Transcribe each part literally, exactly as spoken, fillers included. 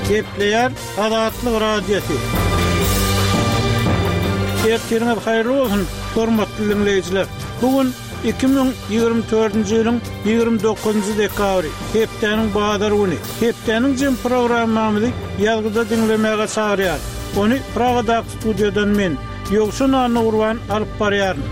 Gepleýär Azatlyk Radiosy. Ertiriňiz haýyrly bolsun, hormatly diňleýjiler. Bu gün iki müň ýigrimi dördünji ýylyň ýigrimi dokuzynjy dekabry, hepdäniň bazar güni. Hepdäniň jem programmamyzy ýazgyda diňlemäge çagyrýar. Ony Pragadaky studiýadan men, Ýowşan Annagurban alyp barýaryn.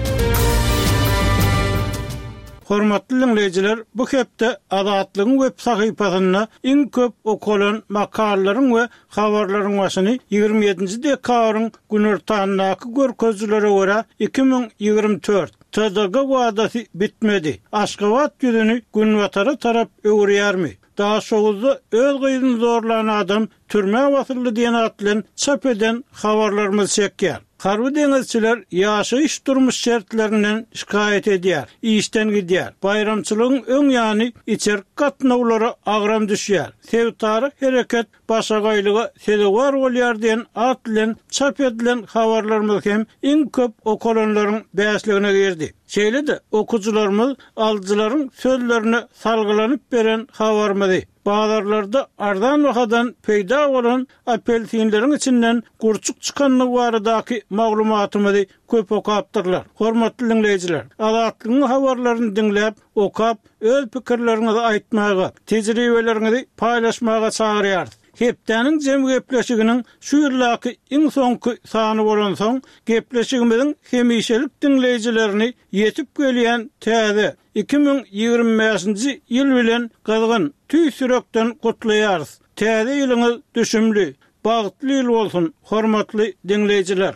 Hormatly diňleýjiler, bu hepde Azatlygyň web sahypasynda iň köp okalan makalalaryň we habarlaryň başyny ýigrimi ýedinji dekabryň günortandaky görkezijilere görä iki müň ýigrimi dört T D G wadasy bitmedi. Aşgabat ýüzüni günbatara tarap öwürýärmi? Daşoguzda öz gyzyny zorlan adam türmä basyldy diýen at bilen çap eden habarlarymyz çekýär. Harby deňizçiler ýaşaýyş durmuş şertlerinden şikaýat edýär, işden gidýär. Baýramçylygyň öň ýany içerki gatnawlara agram düşýär. Sebitara hereket başagaýlyga sezewar bolýar diýen at bilen çap edilen habarlarymyz hem iň köp okalanlaryň bäşligine girdi. Şeýle-de okuwçylarymyz alyjylaryň sözlerine salgylanyp beren habarymyzy bazarlarda arzan bahadan peýda bolan apelsinleriň içinden gurçuk çykanlygy baradaky maglumatymyzy köp okapdyrlar. Hormatly diňleýjiler, Azatlygyň habarlaryny diňläp, okap, öz pikirleriňizi aýtmaga, tejribeleriňizi paýlaşmaga çagyrýarys. Hepdäniň jem gepleşiginiň şu ýyldaky iň soňky sany bolansoň, gepleşigimiziň hemişelik diňleýjilerini ýetip gelýän täze iki müň ýigrimi bäşinji ýyl bilen gyzgyn tüýs ýürekden gutlaýarys. Täze ýylyňyz düşümli, bagtly ýyl bolsun, hormatly diňleýjiler.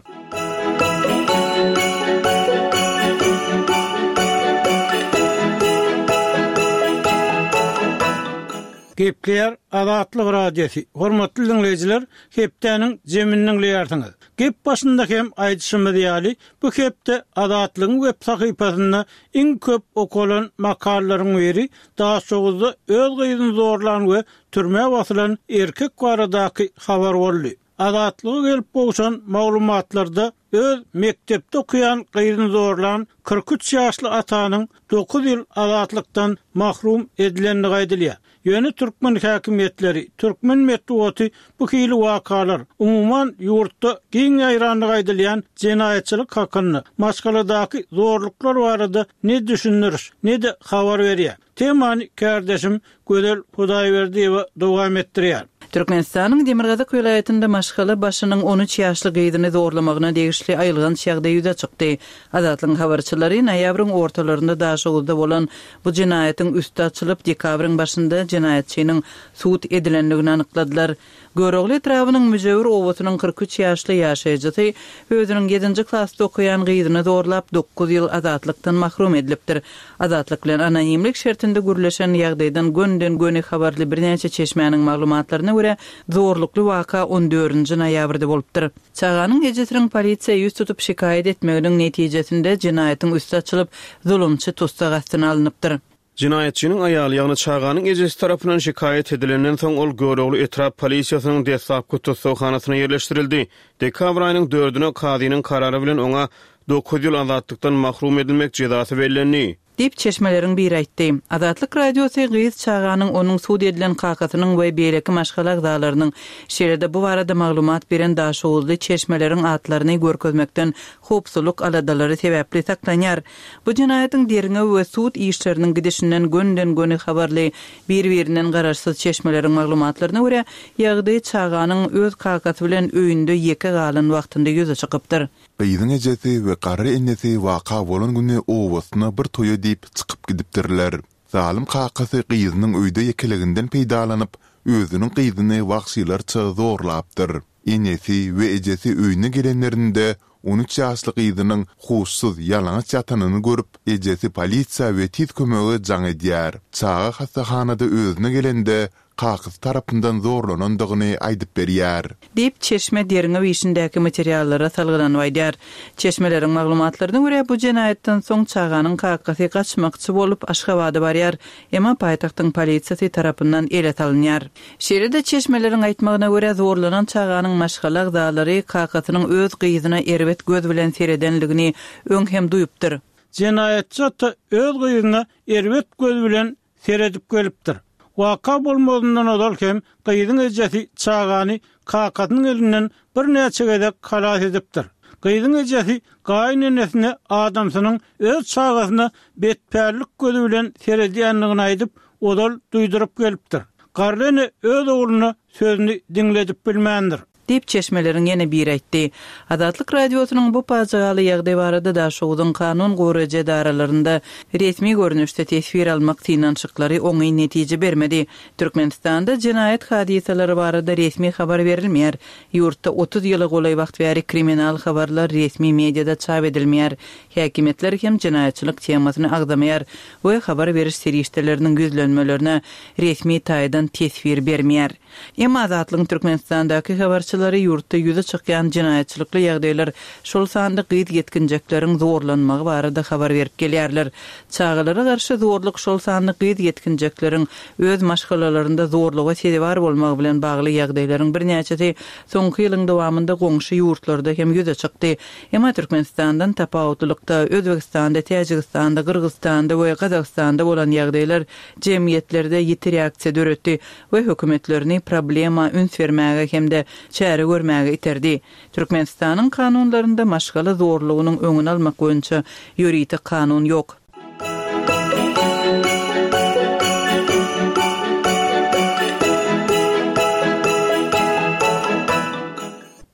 Gepleýär Azatlyk Radiosy. Hormatly diňleýjiler, hepdäniň jemini diňleýärsiňiz. Gep başynda hem aýdyşymyz ýaly, bu hepde Azatlygyň web sahypasynda iň köp okalan makalalaryň biri Daşoguzda öz gyzyny zorlan we türmä basylan erkek baradaky habar boldy. Azatlyga gelip gowşan maglumatlarda öz mekdepde okuýan gyzyny zorlan kyrk üç ýaşly atanyň dokuz ýyl azatlykdan mahrum edilendigi aýdylýar. Ýöne türkmen häkimiýetleri, türkmen metbugaty bu hili wakalar, umuman ýurtda giň ýaýrandygy aýdylýan jenaýatçylyk hakynda, maşgaladaky zorluklar barada ne düşündiriş, ne-de habar berýär. Temany kardeşim Gözel Hudaýberdiýewa dowam etdirýär. Türkmenistanyň Demirgazyk welaýatynda maşgala başynyň on üç ýaşly gyzyny zorlamagyna degişli aýylganç ýagdaý ýüze çykdy. Azatlygyň habarçylary noýabryň ortalarynda Daşoguzda bolan bu jenaýatyň üsti açylyp, dekabryň başynda jenaýatçynyň sud edilendigini anykladylar. Görogly etrabynyň Müjewür obasynyň kyrk üç ýaşly ýaşaýjysy özüniň ýedinji klasda okaýan gyzyny zorlap dokuz ýyl azatlykdan mahrum edilipdir. Azatlyk bilen anonimlik şertinde gürleşen ýagdaýdan gönden göni habarly birnäçe çeşmäniň maglumatlaryna görä zorlukly waka on dördünji noýabrda bolupdyr. Çaganyň ejesiniň polisiýa ýüz tutup şikaýat etmeginiň netijesinde jenaýatyň üsti açylyp, zulumçy tussag astyna alynypdyr. Jenaýatçynyň aýaly, ýagny çaganyň ejesi tarapyndan şikaýat edilenden soň ol Görogly etrap polisiýasynyň deslapky tussaghanasyna ýerleşdirildi. Dekabr aýynyň dördüne kazynyň karary bilen oňa dokuz ýyl azatlykdan mahrum edilmek jezasy bellendi. Diýip çeşmeleriň biri aýtdy. Azatlyk Radiosy gyz çaganyň onuň sud edilen kakasynyň we beýleki maşgala agzalarynyň, şeýle-de bu barada maglumat beren Daşoguzly çeşmeleriň atlaryny görkezmekden howpsuzlyk aladalary sebäpli saklanýar. Bu jenaýatyň derňew we sud işleriniň gidişinden gönden-göni habarly bir-birinden garaşsyz çeşmeleriň maglumatlaryna görä, ýagdaý çaganyň öz kakasy bilen öýünde ýeke galan wagtynda ýüze çykypdyr. Gyzyň ejesi we garry enesi waka bolan güni obasyna bir toýa diýip çykyp gidipdirler. Zalym kakasy gyzynyň öýde ýekeliginden peýdalanyp, özüniň gyzyny wagşylarça zorlapdyr. Enesi we ejesi öýüne gelenlerinde on üç ýaşly gyzynyň huşsuz ýalaňaç ýatanyny görüp, ejesi polisiýa we tiz kömege jaň edýär. Çaga hassahanada özüne gelende kakasy tarapyndan zorlanandygyny aýdyp berýär. Diýip, çeşme derňew işindäki materiallara salgylanyp aýdýar. Çeşmeleriň maglumatlaryna görä bu jenaýatdan soň çaganyň kakasy gaçmakçy bolup Aşgabada barýar, emma paýtagtyň polisiýasy tarapyndan ele salynýar. Şeýle-de çeşmeleriň aýtmagyna görä zorlanan çaganyň maşgala agzalary kakasynyň öz gyzyna erbet göz bilen seredenligini öň hem duýupdyr. Jenaýatçy ata öz gyzyna erbet göz bilen seredip gelipdir. Waka bolmazyndan ozal hem gyzyň ejesi çagany kakasynyň elinden birnäçe gezek halas edipdir. Gyzyň ejesi gaýynenesine adamsynyň öz çagasyna betpällik gözi bilen seredýändigini aýdyp, ozal duýduryp gelipdir. Garry ene öz ogluna sözüni diňledip bilmändir. Diýip, çeşmeleriň ýene biri aýtdy. Azatlyk Radiosynyň bu pajygaly ýagdaý barada Daşogzuň kanun goraýjy edaralarynda resmi görnüşde teswir almak synanyşyklary oňyn netije bermedi. Türkmenistanda jenaýat hadysalary barada resmi habar berilmeýär. Ýurtda otuz ýyla golaý wagt bäri kriminal habarlar resmi mediada çap edilmeýär. Häkimiýetler hem jenaýatçylyk temasyny agzamaýar we habar beriş serişdeleriniň ýüzlenmelerine resmi taýdan teswir bermeýär. Emma Azatlygyň Türkmenistandaky habarçylary ýurtda ýüze çykýan jenaýatçylykly ýagdaýlar, şol sanda gyz ýetginjekleriň zorlanmagy barada habar berip gelýärler. Çagalara garşy zorluk, şol sanda gyz ýetginjekleriň öz maşgalalarynda zorluga sezewar bolmagy bilen bagly ýagdaýlaryň birnäçesi soňky ýylyň dowamynda goňşy ýurtlarda hem ýüze çykdy. Emma Türkmenistandan tapawutlylykda, Özbegistanda, Täjigistanda, Gyrgyzystanda we Gazagystanda bolan ýagdaýlar jemgyýetlerde ýiti reaksiýa döretdi we hökümetlerini problema üns bermäge hem-de çäre görmäge iterdi. Türkmenistanyň kanunlarynda maşgala zorlugynyň öňüni almak boýunça ýörite kanun ýok.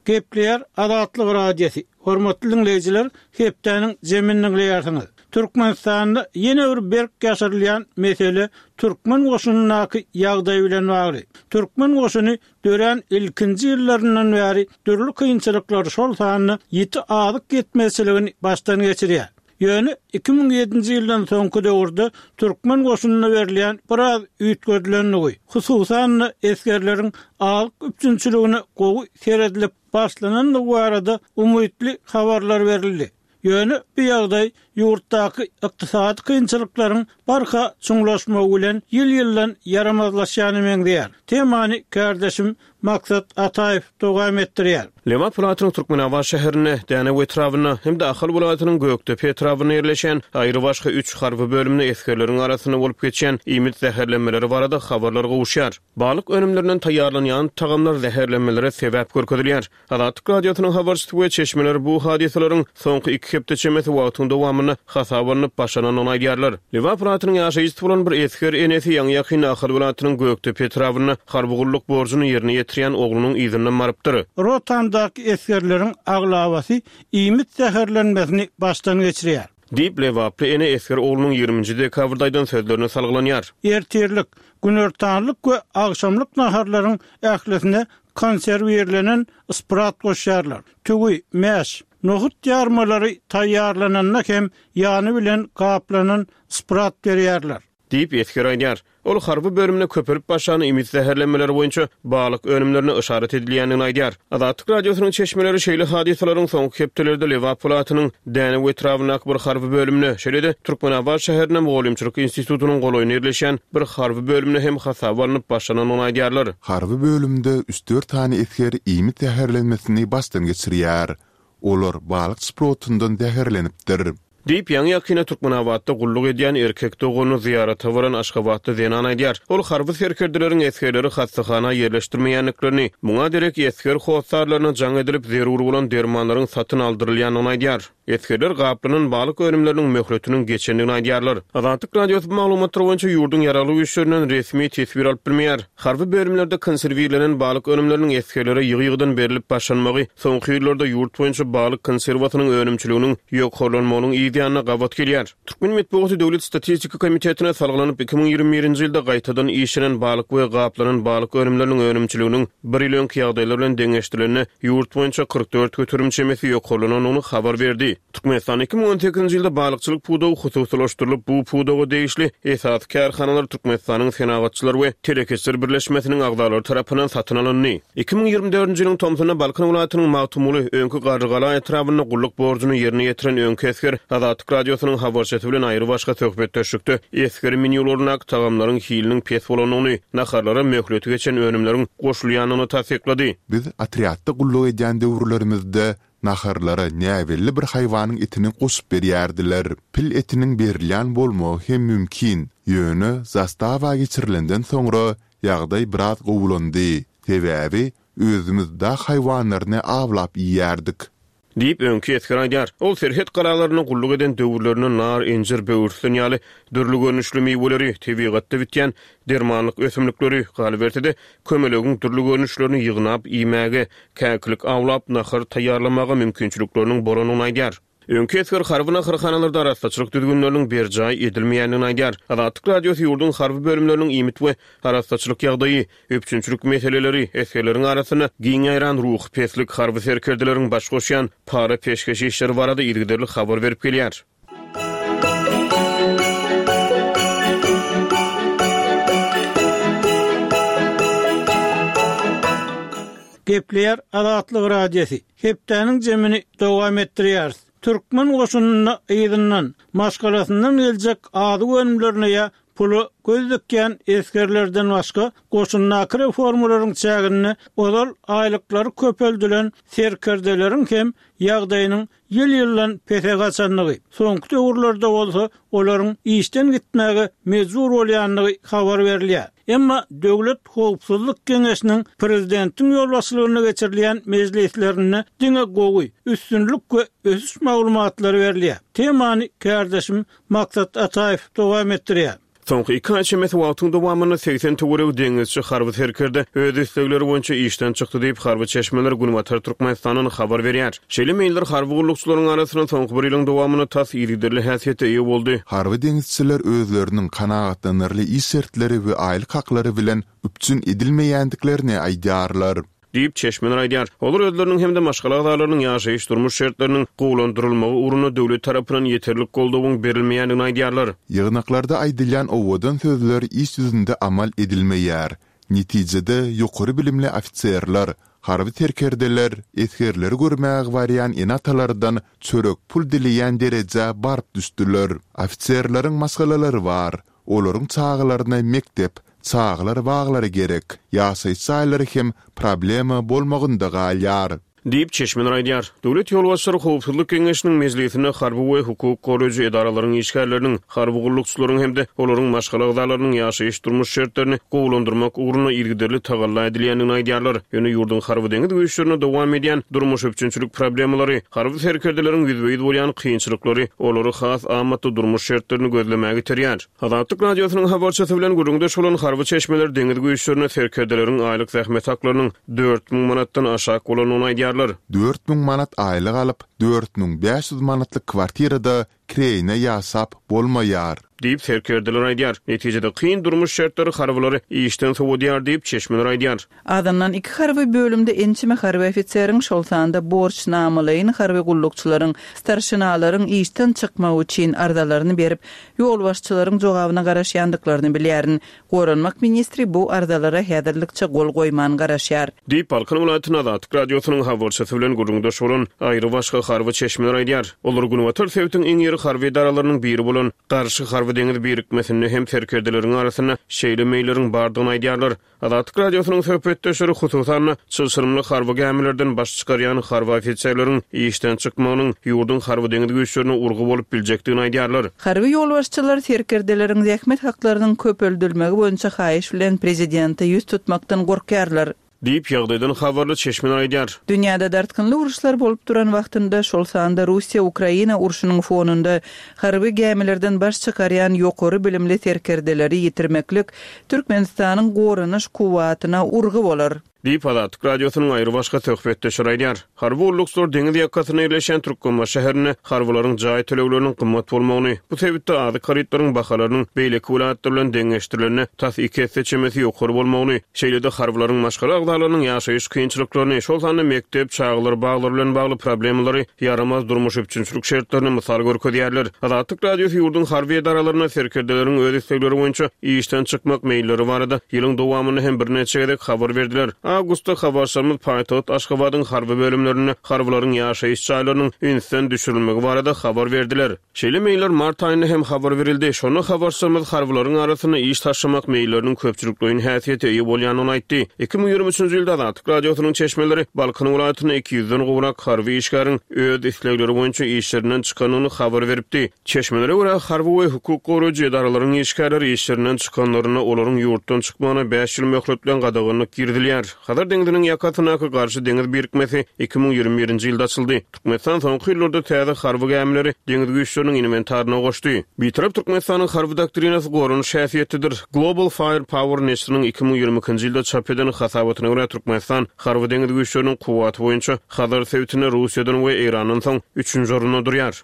Gepleýär Azatlyk Radiosy. Hormatly diňleýjiler, hepdäniň jemini diňleýärsiňiz. Türkmenistanda ýene bir berk ýaşyrylýan mesele türkmen goşunyndaky ýagdaý bilen bagly. Türkmen goşuny dörän ilkinji ýyllaryndan bäri dürli kynçylyklary, şol sanda ýiti azyk ýetmezçiligini başdan geçirýär. Ýöne iki müň ýedinji ýyldan soňky döwürde türkmen goşunyna berilýän biraz üýtgedilendigi, hususan-da esgerleriň azyk üpjünçiligine gowy seredilip başlanandygy barada umytly habarlar berildi. Ýöne bu ýagdaý ýurtdaky ykdysady kynçylyklaryň barha çuňlaşmagy bilen ýyl-ýyldan ýaramazlaşýana meňzeýär. Temany kärdeşim Maksat Ataýew dowam etdirýär. Lebap welaýatynyň Türkmenabat şäherinde, Dänew etrabynda hem-de Ahal welaýatynyň Gökdepe etrabynda ýerleşýän aýrybaşga üç harby bölümde esgerleriň arasynda bolup geçýän iýmit zäherlenmeleri barada habarlar gowuşýar. Balyk önümlerinden taýýarlanýan tagamlar zäherlenmelere sebäp görkezilýär. Azatlyk Radiosynyň habarçysy we çeşmeleri bu hadysalaryň soňky iki hepde çemesi wagtyň dowamynda hasaba alnyp başlanandygyny aýdýarlar. Lebap welaýatynyň ýaşaýjysy bolan bir esger enesi ýaňy-ýakynda Ahal welaýatynyň Gökdepe etrabynda harby gulluk borjuny ýerine ýetirýän oglunyň yzyndan barypdyr. Rotamdaky esgerleriň aglabasy iýmit zäherlenmesini başdan geçirýär. Diýip, lebaply ene esger oglunyň ýigriminji dekabrda aýdan sözlerine salgylanýar. Ertirlik, günortanlyk we agşamlyk naharlaryň ählisine konserwirlenen sprat goşýarlar. Tüwi, mäş, nohut ýarmalary taýýarlananda hem ýany bilen gaplanan sprat berýärler. Diýip, esger aýdýar. Ol harby bölümde köpelip başlan iýmit zäherlenmeleri boýunça balyk önümlerine yşarat edilýändigini aýdýar. Azatlyk Radiosynyň çeşmeleri şeýle hadysalaryň soňky hepdelerde Lebap welaýatynyň Dänew etrabyndaky bir harby bölümde, şeýle-de Türkmenabat şäherinde Mugallymçylyk institutynyň golaýynda ýerleşýän bir harby bölümde hem hasaba alnyp başlanandygyny aýdýarlar. Harby bölümde üç-dört sany esger iýmit zäherlenmesini başdan geçirýär. Olar balyk şprotyndan zäherlenipdir. Diýip, ýaňy-ýakynda Türkmenabatda gulluk edýän erkek doganyny zyýarata baran aşgabatly zenan aýdýar. Ol harby serkerdeleriň esgerleri hassahana ýerleşdirmeýändiklerini, muňa derek esger hossarlaryna jaň edilip, zerur bolan dermanlaryň satyn aldyrylýandygyny aýdýar. Esgerler gaplanan balyk önümleriniň möhletiniň geçendigini aýdýarlar. Azatlyk Radiosy bu maglumatlar boýunça ýurduň ýaragly güýçlerinden resmi teswir alyp bilmeýär. Harby bölümlerde konserwirlenen balyk önümleriniň esgerlere ýygy-ýygydan berlip başlanmagy soňky ýyllarda ýurt boýunça balyk konserwasynyň önümçiliginiň ýokarlanmagynyň yz ýanyna gabat gelýär. Türkmen metbugaty Döwlet statistika komitetine salgylanyp, iki müň ýigrimi birinji ýylda gaýtadan işlenen balyk we gaplanan balyk önümleriniň önümçiliginiň bir ýyl öňki ýagdaýlar bilen deňeşdirilende ýurt boýunça kyrk dört göterim çemesi ýokarlanandygyny habar berdi. Türkmenistanda iki müň on sekizinji ýylda balykçylyk pudagy hususylaşdyrylyp, bu pudaga degişli esasy kärhanalar Türkmenistanyň Senagatçylar we telekeçiler birleşmesiniň agzalary tarapyndan satyn alyndy. Iki müň ýigrimi dördünji ýylyň tomsunda Balkan welaýatynyň Magtymguly, öňki Garrygala etrabynda gulluk borjuny ýerine ýetiren öňki esger Azatlyk Radiosynyň habarçysy bilen aýrybaşga söhbetdeşlikde esger menýularyndaky tagamlaryň hiliniň pes bolandygyny, naharlara möhleti geçen önümleriň goşulýandygyny tassyklady. Biz otrýadda gulluk edýän döwürlerimizde naharlara näbelli bir haýwanyň etini goşup berýärdiler. Pil etiniň berilýän bolmagy hem mümkin. Ýöne zastawa geçirilenden soňra ýagdaý biraz gowulandy. Sebäbi özümiz dag haýwanlaryny awlap iýýärdik. Diýip, öňki esger aýdýar. Ol serhet galalarynda gulluk eden döwürlerinde nar, injir, böwürslen ýaly dürli görnüşli miweleri, tebigatda bitýän dermanlyk ösümlikleri, galyberse-de, kömelegiň dürli görnüşlerini ýygnap iýmäge, käkilik awlap, nahar taýýarlamaga mümkinçilikleriniň bolandygyny aýdýar. Öňki esger harby naharhanalarda arassaçylyk düzgünleriniň berjaý edilmeýändigini aýdýar. Azatlyk Radiosy ýurduň harby bölümleriniň iýmit we arassaçylyk ýagdaýy, üpjünçilik meseleleri, esgerleriň arasynda giň ýaýran ruhy peslik, harby serkerdeleriň baş goşýan para-peşgeş işleri barada yzygiderli habar berip gelýär. Gepleýär Azatlyk Radiosy. Hepdäniň jemini dowam etdirýäris. Türkmen goşunynda yzyndan, maşgalasyndan geljek azyk önümlerine ýa pula göz dikýän esgerlerden başga goşundaky reformalaryň çäginde ozal aýlyklary köpeldilen serkerdeleriň hem ýagdaýynyň ýyl-ýyldan pese gaçandygy, soňky döwürlerde bolsa olaryň işden gitmäge mejbur bolýandygy habar berilýär. Emma Döwlet howpsuzlyk geňeşiniň prezidentiň ýolbaşçylygynda geçirilýän mejlislerinde diňe gowy, üstünlik we ösüş maglumatlary berilýär. Temany kärdeşim Maksat Ataýew dowam etdirýär. Soňky iki aý çemesi wagtyň dowamynda segsen töweregi deňizçi harby serkerde öz islegleri boýunça işden çykdy diýip, harby çeşmeler Günbatar Türkmenistandan habar berýär. Şeýle meýiller harby gullukçylaryň arasynda soňky bir ýylyň dowamynda tas yzygiderli häsiýete eýe boldy. Harby deňizçiler özleriniň kanagatlanarly iş şertleri we aýlyk haklary bilen üpjün edilmeýändiklerini aýdýarlar. Diýip, çeşmeler aýdýar. Olar özleriniň hem-de maşgala agzalarynyň ýaşaýyş-durmuş şertleriniň gowulandyrylmagy ugrunda döwlet tarapyndan ýeterlik goldawyň berilmeýändigini aýdýarlar. Ýygnaklarda aýdylýan owadan sözler iş ýüzünde amal edilmeýär. Netijede, ýokary bilimli ofiserler, harby serkerdeler esgerleri görmäge barýan ene-atalardan çörek pul dileýän derejä baryp düşdüler. Ofiserleriň maşgalalary bar. Olaryň çagalaryna mekdep, çagalar baglary gerek. Ýaşaýyş jaýlary hem problema bolmagynda galýar. Diýip, çeşmeler aýdýar. Döwlet ýolbaşçylary Howpsuzlyk geňeşiniň mejlisinde harby we hukuk goraýjy edaralaryň işgärleriniň, harby gullukçylaryň hem-de olaryň maşgala agzalarynyň ýaşaýyş-durmuş şertlerini gowulandyrmak ugrunda yzygiderli tagalla edilýändigini aýdýarlar. Ýöne ýurduň harby-deňiz güýçlerinde dowam edýän durmuş üpjünçilik problemalary, harby serkerdeleriň ýüzbe-ýüz bolýan kynçylyklary olary has amatly durmuş şertlerini gözlemäge iterýär. Azatlyk Radiosynyň habarçysy bilen gürrüňdeş bolan harby çeşmeler deňiz güýçlerinde serkerdeleriň aýlyk zähmet haklarynyň dört müň manatdan aşak bolandygyny aýdýarlar. Dört müň manat aýlyk alyp, dört müň bäş ýüz manatlyk kwartirada kireýine ýaşap bolmaýar. Diýip, serkerdeler aýdýar. Netijede, kyn durmuş şertleri harbylary işden sowadýar diýip, çeşmeler aýdýar. Azyndan iki harby bölümde ençeme harby ofiseriň, şol sanda borçnamalaýyn harby gullukçylaryň, starşinalaryň işden çykmagy üçin arzalaryny berip, ýolbaşçylaryň jogabyna garaşýandyklaryny bilýärin. Goranmak ministri bu arzalara häzirlikçe gol goýman garaşýar. Diýip, Balkan welaýatynda Azatlyk Radiosynyň habarçysy bilen gürrüňdeş bolan aýrybaşga harby çeşmeler aýdýar. Olar günbatar sebitiň iň iri harby edaralarynyň biri bolan Garşy harby-deňiz birikmesinde hem serkerdeleriň arasynda şeýle meýilleriň bardygyny aýdýarlar. Azatlyk Radiosynyň söhbetdeşleri, hususan-da, çylşyrymly harby gämilerden baş çykarýan harby ofiserleriň işden çykmagynyň ýurduň harby-deňiz güýçlerine urgy bolup biljekdigini aýdýarlar. Harby ýolbaşçylar serkerdeleriň zähmet haklarynyň köpeldilmegi boýunça haýyş bilen prezidente ýüz tutmakdan gorkýarlar. Diýip, ýagdaýdan habarly çeşmeler aýdýar. Dünýäde dartgynly uruşlar bolup duran wagtynda, şol sanda Russiýa-Ukraina urşunyň fonunda harby gämilerden baş çykarýan ýokary bilimli serkerdeleri ýitirmeklik Türkmenistanyň goranyş kuwwatyna urgy bolar. Diýip, Azatlyk Radiosynyň aýrybaşga söhbetdeşleri aýdýar. Harby gullukçylar deňiz ýakasynda ýerleşýän Türkmenbaşy şäherinde harbylaryň jaý tölegleriniň gymmat bolmagyny, bu sebitde azyk harytlaryň bahalarynyň beýleki welaýatlar bilen deňeşdirilende tas iki esse çemesi ýokary bolmagyny, şeýle-de harbylaryň maşgala agzalarynyň ýaşaýyş kynçylyklaryny, şol sanda mekdep, çagalar baglary bilen bagly problemalary, ýaramaz durmuş üpjünçilik şertlerini mysal görkezýärler. Azatlyk Radiosy ýurduň harby edaralarynda serkerdeleriň öz islegleri boýunça işden çykmak meýilleri barada ýylyň dowamynda hem birnäçe gezek habar berdiler. Awgustda habarçymyz paýtagt Aşgabadyň harby bölümlerinde harbylaryň ýaşaýyş jaýlarynyň ünsden düşürilmegi barada habar berdiler. Şeýle meýiller mart aýynda hem habar berildi. Şonda habarçymyz harbylaryň arasynda iş taşlamak meýilleriniň köpçülikleýin häsiýete eýe bolýandygyny aýtdy. Iki müň ýigrimi üçünji ýylda Azatlyk Radiosynyň çeşmeleri Balkan welaýatynda iki ýüzden gowrak harby işgäriň öz islegleri boýunça işlerinden çykandygyny habar beripdi. Çeşmelere görä, harby we hukuk goraýjy edaralaryň işgärleri işlerinden çykanlarynda olaryň ýurtdan çykmagyna bäş ýyl möhlet bilen gadaganlyk girizilýär. Hazar deňziniň ýakasyndaky garşy deňiz birikmesi iki müň ýigrimi birinji ýylda açyldy. Türkmenistan soňky ýyllarda täze harby gämileri deňiz güýçleriniň inventaryna goşdy. Bitarap Türkmenistanyň harby doktrinasy goranyş häsiýetlidir. Global Firepower neşiriniň iki müň ýigrimi ikinji ýylda çap eden hasabatyna görä, Türkmenistan harby deňiz güýçleriniň kuwwaty boýunça Hazar sebitinde Russiýadan we Eýrandan soň üçünji orunda durýar.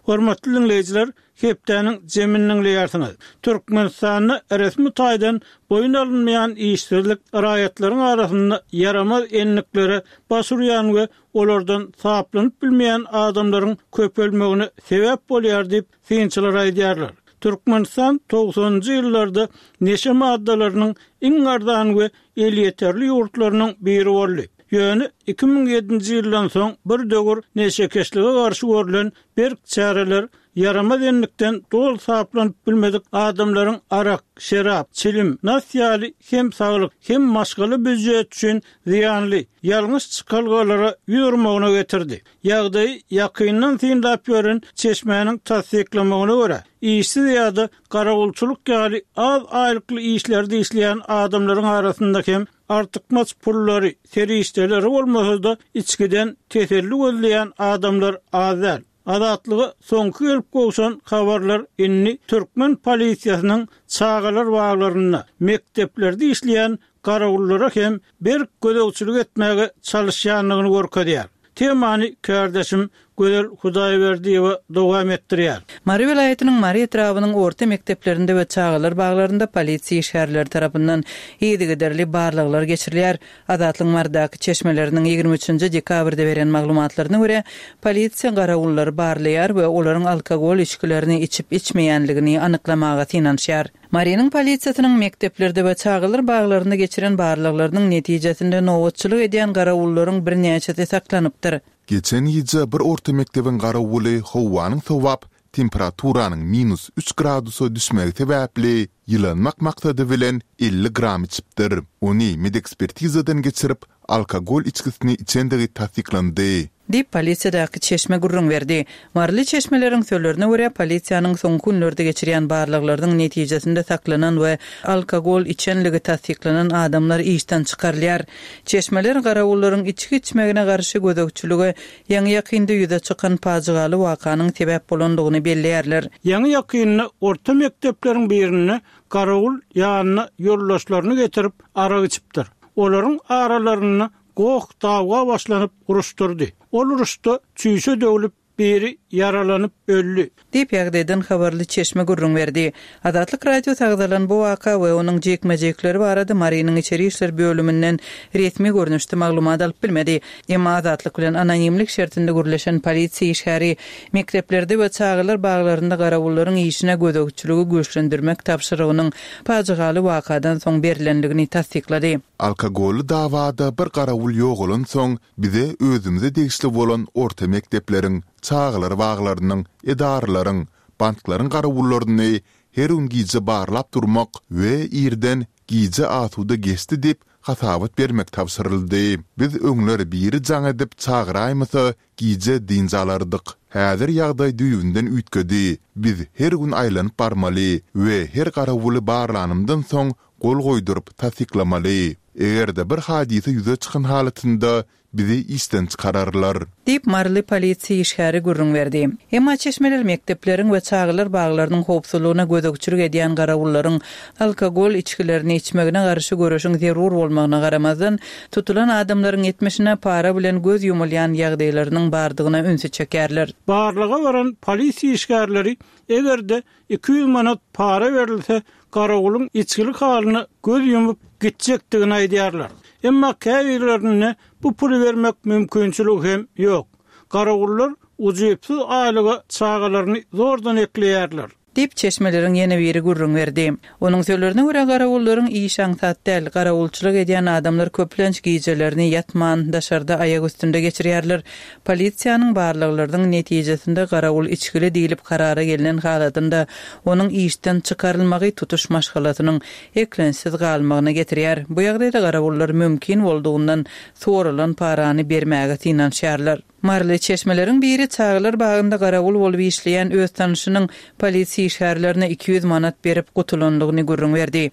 Hormatly dinleýjiler, hepdäniň jemini dinleýärsiňiz. Türkmenistanda resmi taýdan boýun alynmaýan işsizlik raýatlaryň arasynda ýaramaz endiklere baş urýan we olardan saplanyp bilmeýän adamlaryň köpelmegine sebäp bolýar diýip synçylar aýdýarlar. Türkmenistan togsanynjy ýyllarda neşe maddalarynyň iň arzan we elýeterli ýurtlarynyň biri boldy. Ýöne iki müň ýedinji ýyldan soň bir döwür neşekeşlige garşy görlen berk çäreler ýaramaz endikden doly saplanyp bilmedik adamlaryň arak, şerap, çilim, nas ýaly hem saglyk, hem maşgala býujet üçin zyýanly, ýalňyş çykalgalara ýüz urmagyna getirdi. Ýagdaýy ýakyndan synlap ýören çeşmäniň tassyklamagyna görä, işsiz ýa-da garawulçylyk ýaly az aýlykly işlerde işleýän adamlaryň arasynda hem artykmaç pullary, serişdeleri bolmasa-da içkiden teselli gözleýän adamlar az däl. Azatlyga soňky gelip gowşan habarlar indi türkmen polisiýasynyň çagalar baglarynda, mekdeplerde işleýän garawullara hem berk gözegçilik etmäge çalışýandygyny görkezýär. Temany kardeşim Gözel Hudaýberdiýewa dowam etdirýär. Mary welaýatynyň Mary etrabynyň orta mekdeplerinde we çagalar baglarynda polisiýa işgärleri tarapyndan yzygiderli barlaglar geçirilýär. Azatlyk Marydaky çeşmeleriniň ýigrimi üçünji dekabrda beren maglumatlaryna görä, polisiýa garawullary barlaýar we olaryň alkogol içgilerini içip içmeýänligini anyklamaga synanyşýar. Marynyň polisiýasynyň mekdeplerde we çagalar baglarynda geçiren barlaglarynyň netijesinde nobatçylyk edýän garawullaryň birnäçesi saklanypdyr. Geçen gije bir orta mekdebiň garawuly howanyň sowap, temperaturanyň minus üç gradusa düşmegi sebäpli ýylanmak maksady bilen elli gram içipdir. Ony medekspertizadan geçirip, alkogol içkisini içendigi tassyklandy. Diýip polisiýadaky çeşme gürrüň berdi. Maryly çeşmeleriň sözlerine görä, polisiýanyň soňky günlerde geçirýän barlaglarynyň netijesinde saklanan we alkogol içenligi tassyklanan adamlar işden çykarylýar. Çeşmeler garawullaryň içki içmegine garşy gözegçilige ýaňy ýakynda ýüze çykan pajygaly wakanyň sebäp bolandygyny belleýärler. Ýaňy ýakynda orta mekdepleriň birinde garawul ýanyna ýoldaşlaryny getirip arak içipdir. Olaryň aralarynda goh dawga başlanyp uruşdurdy. Ol uruşda çüýşe döwlüp biri ýaralanyp öldü. Diýip ýagdaýdan habarly çeşme gürrüň berdi. Azatlyk Radiosy agzalan bu waka we onuň jekme-jekleri barada Marynyň içeri işler bölüminden resmi görnüşde maglumat alyp bilmedi. Emma Azatlyk bilen anonimlik şertinde gürleşen polisiýa işgäri mekdeplerde we çagalar baglarynda garawullaryň işine gözegçiligi güýçlendirmek tabşyrygynyň pajygaly wakadan soň berilendigini tassyklady. Alkogolly dawada bir garawul ýogalan soň bize özümize degişli bolan orta mekdepleriň, çagalar baglarynyň, edaralaryň, banklaryň garawullaryny her gün gije barlap durmak we irden gije asuda geçdi diýip hasabat bermek tabşyryldy. Biz öňler biri jaň edip çagyraýmasa gije dynç alardyk. Häzir ýagdaý düýbünden üýtgedi. Biz her gün aýlanyp barmaly we her garawuly barlanymdan soň gol goýduryp tassyklamaly. Eger-de bir hadysa ýüze çykan halatynda bizi işden çykararlar. Diýip Maryly polisiýa işgäri gürrüň berdi. Emma çeşmeler mekdepleriň we çagalar baglarynyň howpsuzlygyna gözegçilik edýän garawullaryň alkogol içgilerini içmegine garşy göreşiň zerur bolmagyna garamazdan, tutulan adamlaryň ýetmişine para bilen göz ýumulýan ýagdaýlarynyň bardygyna ünsi çekerler. Barlyga varan polisiýa işgärleri eger-de iki ýüz manat para berilse, garawulyň içgilik halyna göz ýumup gitjekdigini aýdýarlar. Emma käbirlerine bu puly bermek mümkinçiligi hem ýok. Garawullar ujypsyz aýlyga çagalaryny zordan ekleýärler. Diýip, çeşmeleriň ýene biri gürrüň berdi. Onuň sözlerine görä, garawullaryň işi aňsat däl. Garawulçylyk edýän adamlar köplenç gijelerini ýatman, daşarda aýak üstünde geçirýärler. Polisiýanyň barlaglarynyň netijesinde garawul içgili diýlip karara gelnen halatynda onuň işden çykarylmagy tutuş maşgalasynyň eklençsiz galmagyna getirýär. Bu ýagdaýda garawullar mümkin boldugyndan soralan parany bermäge synanyşýarlar. Maryly çeşmeleriň biri çagalar bagynda garawul bolup işleýän öz tanyşynyň polisiýa işgärlerine iki ýüz manat berip gutulandygyny gürrüň berdi.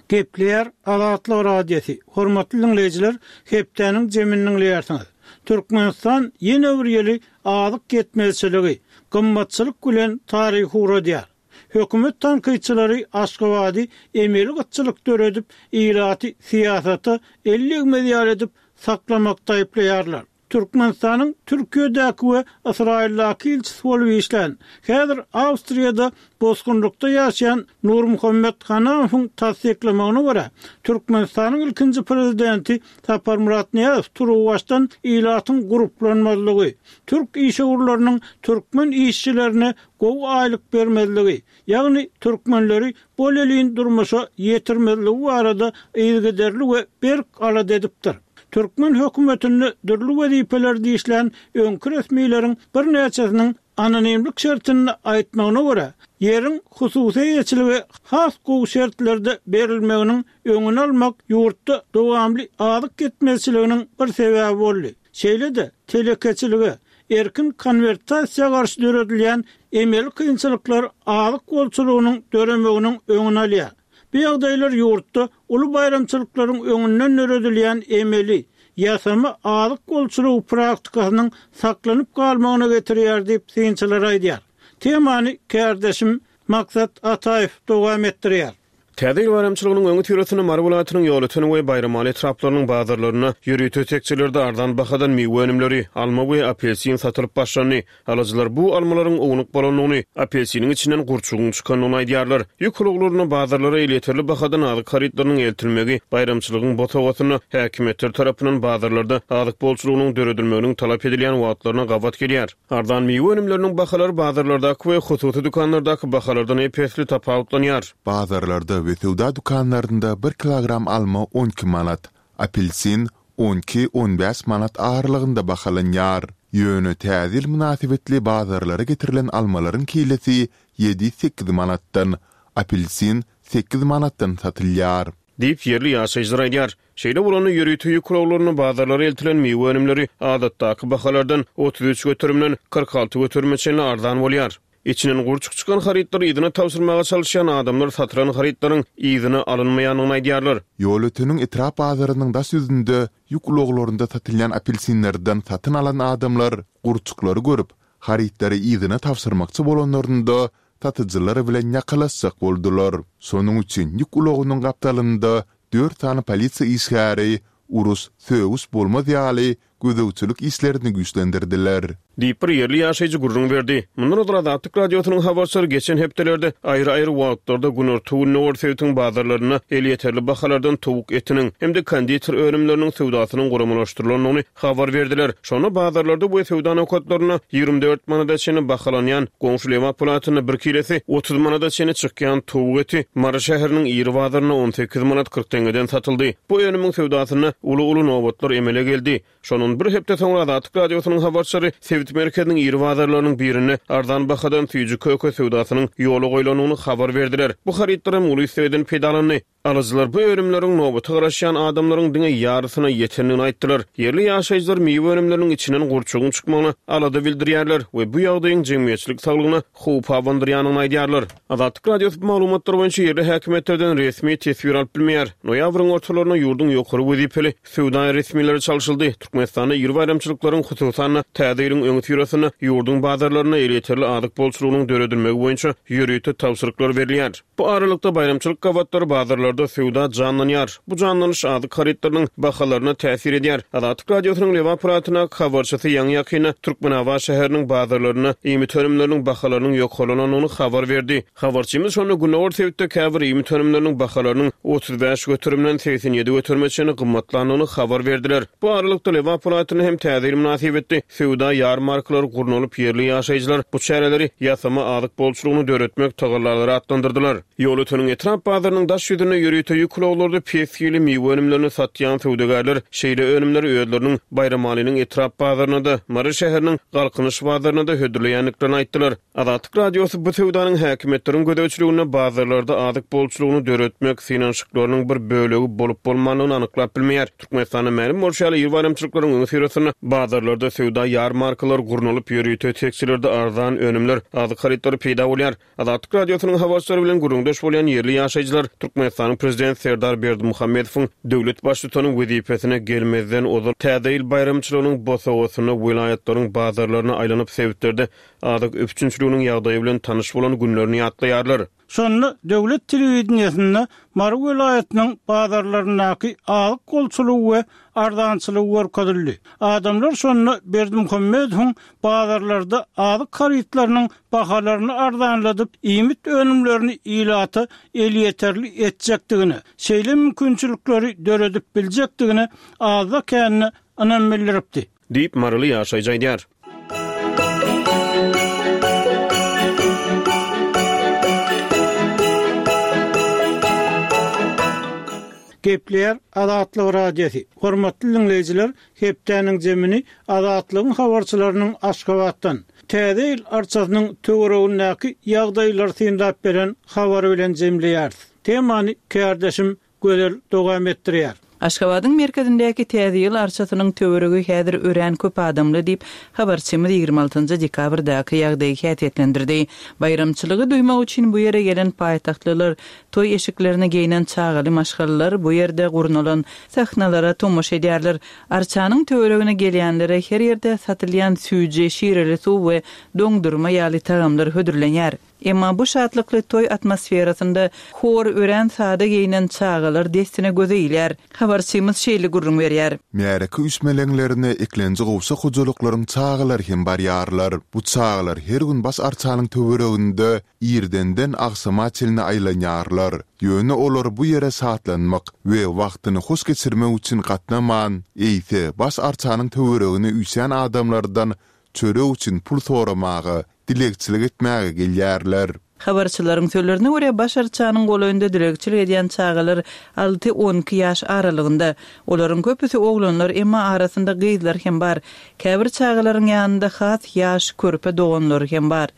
Gepleýär Azatlyk Radiosy. Hormatly diňleýjiler, hepdäniň jemini diňleýärsiňiz. Türkmenistan ýene bir ýyly azyk ýetmezçiligi, gymmatçylyk bilen taryhy ugradýar. Hökümet tankytçylary Aşgabady emeli gytçylyk döredip, ilaty syýasata el degmez ýaly edip saklamakda aýyplaýarlar. Türkmenistanyň Türkiýedäki we Ysraýyldaky ilçisi bolup işlän, häzir Awstriýada bosgunlykda ýaşaýan Nurmuhammet Hanamowyň tassyklamagyna görä, Türkmenistanyň ilkinji prezidenti Saparmyrat Nyýazow turuwbaşdan ilatyň gurplanmazlygy, türk işewürleriniň türkmen işçilerine gowy aýlyk bermezligi, ýagny türkmenleri bolelin durmuşa ýetirmezligi barada yzygiderli we berk alada edipdir. Türkmen hökümetinde dürli wezipelerde işlän öňki resmileriň birnäçesiniň anonimlik şertinde aýtmagyna görä, ýeriň hususy eýeçilige has gowy şertlerde berilmeginiň öňüni almak ýurtda dowamly azyk ýetmezçiliginiň bir sebäbi boldy. Şeýle-de telekeçilige, erkin konwertasiýa garşy döredilýän emeli kynçylyklar azyk bolçulygynyň döremeginiň öňüni alýar. Bu ýagdaýlar ýurtda uly baýramçylyklaryň öňünden döredilýän emeli, ýasama azyk bolçulygy praktikasynyň saklanyp galmagyna getirýär diýip synçylar aýdýar. Temany kärdeşim Maksat Ataýew dowam etdirýär. Täze ýyl baýramçylygynyň öňüsyrasynda Mary welaýatynyň Ýolöten we Baýramaly etraplarynyň bazarlarynda ýörite tekjelerde arzan bahadan miwe önümleri, alma we apelsin satylyp başlandy. Alyjylar bu almalaryň ownuk bolandygyny, apelsiniň içinden gurçugyň çykandygyny aýdýarlar. Ýük ulaglaryna bazarlara elýeterli bahadan azyk harytlarynyň eltilmegi baýramçylygyň bosagasynda häkimiýetler tarapyndan bazarlarda azyk bolçulygynyň döredilmeginiň talap edilýän wagtlaryna gabat gelýär. Arzan miwe önümleriniň bahalary bazarlardaky we hususy dükanlardaky bahalardan ep-esli tapawutlanýar. Bazarlarda we söwda dükanlarynda bir kilogram alma on iki manat, apelsin on iki-on bäş manat aralygynda bahalanýar. Ýöne Täze ýyl mynasybetli bazarlara getirilen almalaryň kilesi ýedi-sekiz manatdan, apelsin sekiz manatdan satylýar. Diýip, ýerli ýaşaýjylar aýdýar. Şeýle bolanda ýörite ýük ulaglaryna bazarlara eltilen miwe önümleri adatdaky bahalardan otuz üç göterimden kyrk alty göterime çenli arzan bolýar. Içinden gurçuk çykan harytlary yzyna tabşyrmaga çalyşýan adamlar satylan harytlaryň yzyna alynmaýandygyny aýdýarlar. Ýolöteniň etrap bazarynyň daş ýüzünde ýük ulaglarynda satylýan apelsinlerden satyn alan adamlar gurçuklary görüp, harytlary yzyna tabşyrmakçy bolanlarynda satyjylar bilen ýakalaşjak boldular. Şonuň üçin ýük ulagynyň gapdalynda dört sany polisiýa işgäri uruş, sögüş bolmaz ýaly gözegçilik işlerini güýçlendirdiler. Diýip bir ýerli ýaşaýjy gürrüň berdi. Mundan ozal Azatlyk Radiosynyň habarçylary geçen hepdelerde aýry-aýry wagtlarda Günorta-Gündogar sebitiň bazarlarynda elýeterli bahalardan towuk etiniň hem-de konditer önümleriniň söwdasynyň guramalaşdyrylandygyny habar berdiler. Şonda bazarlarda we söwda nokatlarynda ýigrimi dört manada çenli bahalanýan goňşy Lebap welaýatynda bir kilesi otuz manada çenli çykýan towuk eti Mary şäheriniň iri bazarynda on sekiz manat kyrk teňňeden satyldy. Bu önümiň söwdasynda uly-uly nobatlar emele geldi. Şondan bir hepde soňra Azatlyk Radiosynyň habarçylary sebit merkeziniň iri bazarlarynyň birinde arzan bahadan süýji köke söwdasynyň ýola goýlandygyny habar berdiler. Bu harytlar hem uly islegden peýdalandy. Alyjylar bu önümleriň nobata garaşýan adamlaryň diňe ýarysyna ýetendigini aýtdylar. Ýerli ýaşaýjylar miwe önümleriniň içinden gurçugyň çykmagyna alada bildirýärler we bu ýagdaýyň jemgyýetçilik saglygyna howp abandyrýandygyny aýdýarlar. Azatlyk Radiosy bu maglumatlar boýunça ýerli häkimiýetlerden resmi teswir alyp bilmeýär. Noýabryň ortalarynda ýurduň ýokary wezipeli söwda resmileri çalşyldy. Türkmenistanda iri baýramçylyklaryň, hususan-da Täze ýylyň öňüsyrasynda ýurduň bazarlarynda elýeterli azyk bolçulygynyň döredilmegi boýunça ýörite tabşyryklar berilýär. Bu aralykda baýramçylyk gabatlary bazarlarda bazarlarda söwda janlanýar. Bu janlanyş azyk harytlarynyň bahalaryna täsir edýär. Azatlyk Radiosynyň Lebap welaýatyndaky habarçysy ýaňy-ýakynda Türkmenabat şäheriniň bazarlarynda iýmit önümleriniň bahalarynyň ýokarlanandygyny habar berdi. Habarçymyz şonda gündogar sebitde käbir iýmit önümleriniň bahalarynyň otuz bäş göterimden segsen ýedi göterime çenli gymmatlandygyny habar berdiler. Bu aralykda Lebap welaýatynda hem täze ýyl mynasybetli söwda ýarmarkalary gurnalyp, ýerli ýaşaýjylar bu çäreleri ýasama azyk bolçulygyny döretmek tagallalary atlandyrdylar. Ýolöteniň etrap bazarynyň daş ýüzünde ýörite ýük ulaglarda pes hili miwe önümlerini satýan söwdagärler şeýle önümleri özleriniň Baýramalynyň etrap bazaryna-da, Mary şäheriniň Galkynyş bazaryna-da hödürleýändiklerini aýtdylar. Azatlyk Radiosy bu söwdanyň häkimiýetleriň gözegçiliginde bazarlarda azyk bolçulygyny döretmek synanyşyklarynyň bir bölegi bolup-bolmandygyny anyklap bilmeýär. Türkmenistanda mälim bolşy ýaly, ýyl baýramçylyklaryň öňüsyrasynda bazarlarda söwda ýarmarkalary gurnalyp, ýörite tekjelerde arzan önümler, azyk harytlary peýda bolýar. Azatlyk Radiosynyň habarçylary bilen gürrüňdeş bolýan ýerli ýaşaýjylar Türkmenistanyň Prezidenti Serdar Berdimuhamedowyň döwlet baştutany wezipesine gelmezden ozal Täze ýyl baýramçylygynyň bosagasynda welaýatlaryň bazarlaryna aýlanyp sebitlerde azyk üpjünçiliginiň ýagdaýy bilen tanyş bolan günlerini ýatlaýarlar. Şonda döwlet telewideniýesinde Mary welaýatynyň bazarlaryndaky azyk bolçulygy we arzançylygy görkezildi. Adamlar şonda Berdimuhamedowyň bazarlarda azyk harytlarynyň bahalaryny arzanladyp, iýmit önümlerini ilata elýeterli etjekdigine, şeýle mümkinçilikleri döredip biljekdigine azda-kände ynam bildiripdi. Diýip, Maryly ýaşaýjy aýdýar. Gepleýär Azatlyk Radiosy. Hormatly diňleýjiler, hepdäniň jemini Azatlygyň habarçylarynyň Aşgabatdan Täze ýyl arçasynyň töweregindäki ýagdaýlary synlap beren habary bilen jemleýäris. Temany kärdeşim Gözel dowam etdirýär. Aşgabadyň merkezindäki Täze ýyl arçasynyň töweregi häzir örän köp adamly diýip, habarçymyz ýigrimi altynjy dekabrdaky ýagdaýy häsiýetlendirdi. Baýramçylygy duýmak üçin bu ýere gelen paýtagtlylar, toý eşiklerini geýnen çagaly maşgalalar bu ýerde gurnalan sahnalara tomaşa edýärler. Arçanyň töweregine gelýänlere her ýerde satylýan süýji, şireli suw we doňdurma ýaly tagamlar hödürlenýär. Emma bu şatlykly toý atmosferasynda hor örän sada geýnen çagalar dessine göze ilýär. Habarçymyz şeýle gürrüň berýär. Märeke üýşmeleňlerine eklenji gowşak hojalyklaryň çagalary hem barýarlar. Bu çagalar her gün baş arçanyň töwereginde irdenden agşama çenli aýlanýarlar. Ýöne olar bu ýere şatlanmak we wagtyny hoş geçirmek üçin gatnaman, eýse baş arçanyň töweregine üýşýän adamlardan çörek üçin pul soramaga, dilegçilik etmäge gelýärler. Habarçylaryň sözlerine görä, baş arçanyň golaýynda dilegçilik edýän çagalar alty-on iki ýaş aralygynda. Olaryň köpüsi oglanlar, emma arasynda gyzlar hem bar. Käbir çagalaryň ýanynda has ýaş körpe doganlary hem bar.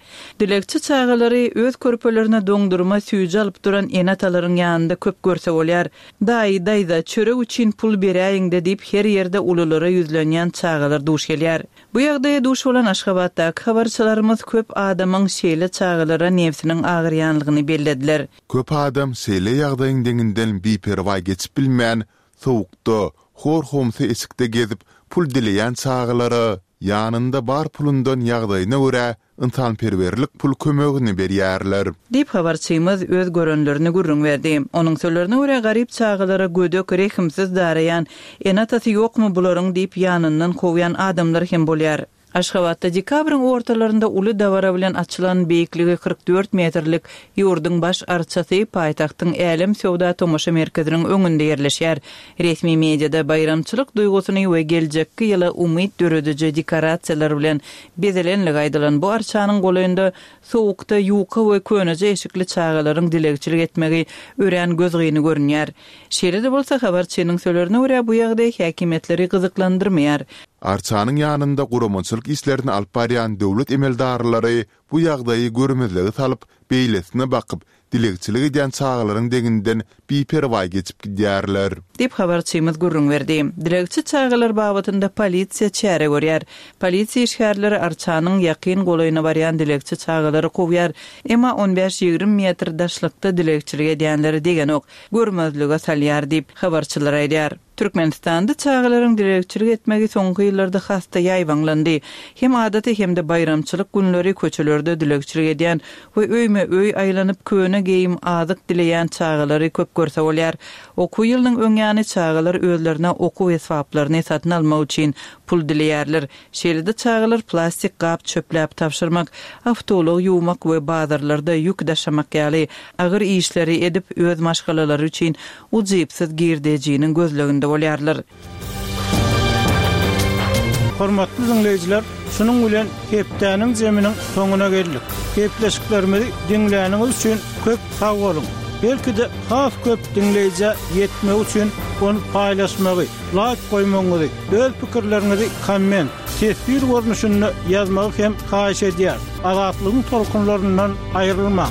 Dilegçi çagalary öz körpelerine doňdurma süýji alyp duran ene-atalaryň ýanynda köp görse bolýar. Daýy, daýza, çörek üçin pul beräýiň-de diýip her ýerde ululara ýüzlenýän çagalar duş gelýär. Bu ýagdaýa duş bolan Aşgabatdaky habarçylarymyz köp adamyň şeýle çagalara nebsiniň agyrýanlygyny bellediler. Köp adam şeýle ýagdaýyň deňinden biperwaý geçip bilmän, sowukda, hor-homsy eşikde gezip pul dileýän çagalara ýanynda bar pulundan ýagdaýyna görä ynsanperwerlik pul kömegini berýärler. Diýip, habarçymyz öz görenlerini gürrüň berdi. Onuň sözlerine görä, garyp çagalara gödek, rehimsiz daraýan, ene-atasy ýokmy bularyň diýip ýanyndan kowýan adamlar hem bolýar. Aşgabatda dekabryň ortalarynda uly dabara bilen açylan beýikligi kyrk dört metrlik ýurduň baş arçasy paýtagtyň Älem söwda tomaşa merkeziniň öňünde ýerleşýär. Resmi mediada baýramçylyk duýgusyny we geljekki ýyla umyt dörediji dekorasiýalar bilen bezelenligi aýdylan bu arçanyň golaýynda sowukda ýuka we köneje eşikli çagalaryň dilegçilik etmegi örän gözgyny görünýär. Şeýle-de bolsa, habarçynyň sözlerine görä, bu ýagdaý häkimiýetleri gyzyklandyrmaýar. Arçanyň ýanynda guramaçylyk işlerini alyp barýan döwlet emeldarlary bu ýagdaýy görmezlige salyp, beýlesine bakyp, dilegçilik edýän çagalaryň deňinden biperwaý geçip gidýärler. Diýip, habarçymyz gürrüň berdi. Dilegçi çagalar babatynda polisiýa çäre görýär. Polisiýa işgärleri arçanyň ýakyn golaýyna barýan dilegçi çagalary kowýar. Emma on bäş-ýigrimi metr daşlykda dilegçilik edýänleri degenok, görmezlige salýar diýip, habarçylar aýdýar. Türkmenistanda çagalaryň dilegçilik etmegi soňky ýyllarda has-da ýaýbaňlandy. Hem adaty hem-de baýramçylyk günleri köçelerde dilegçilik edýän we öýme-öý aýlanyp köne geýim, azyk dileýän çagalary köp görse bolýar. Okuw ýylynyň öň ýany çagalar özlerine okuw esbaplaryny satyn almak üçin pul dileýärler. Şeýle-de çagalar plastik gap çöpläp tabşyrmak, awtoulag ýuwmak we bazarlarda ýük daşamak ýaly agyr işleri edip, öz maşgalalary üçin ujypsyz girdejiniň gözleginde bolýarlar. Hormatly diňleýjiler, şunuň bilen hepdäniň zeminiň soňuna geldik. Gepleşiklerimizi diňläniňiz üçin köp sag boluň. Belki-de has köp diňleýjä ýetmegi üçin ony paýlaşmagy, laýk goýmagyňyzy, öz pikirleriňizi komment, teswir görnüşinde ýazmagy hem haýyş edýär. Azatlygyň tolkunlaryndan aýrylmaň.